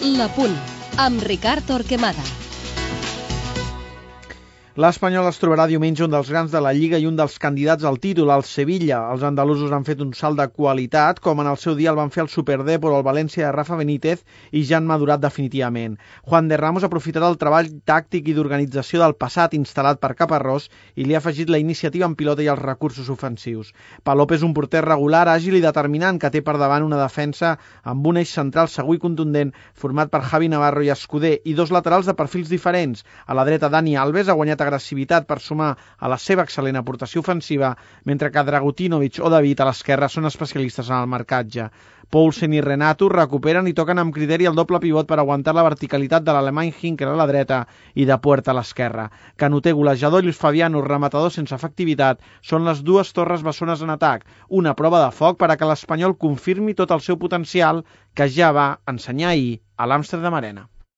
La Punt, amb Ricard Torquemada. L'Espanyol es trobarà diumenge un dels grans de la Lliga i un dels candidats al títol, el Sevilla. Els andalusos han fet un salt de qualitat, com en el seu dia el van fer el Superdèpor o el València de Rafa Benítez, i ja han madurat definitivament. Juan de Ramos aprofitarà el treball tàctic i d'organització del passat instal·lat per Caparrós i li ha afegit la iniciativa en pilota i els recursos ofensius. Palop és un porter regular, àgil i determinant, que té per davant una defensa amb un eix central segur i contundent format per Javi Navarro i Escudé i dos laterals de perfils diferents. A la dreta, Dani Alves ha guanyat agressivitat per sumar a la seva excel·lent aportació ofensiva, mentre que Dragutinovic o David a l'esquerra són especialistes en el marcatge. Poulsen i Renato recuperen i toquen amb criteri el doble pivot per aguantar la verticalitat de l'alemany Hinkel a la dreta i de Puerta a l'esquerra. Canuter, golejador, i Luis Fabiano, rematador sense efectivitat, són les dues torres bessones en atac, una prova de foc per a que l'Espanyol confirmi tot el seu potencial que ja va ensenyar ahir a l'Amsterdam Arena.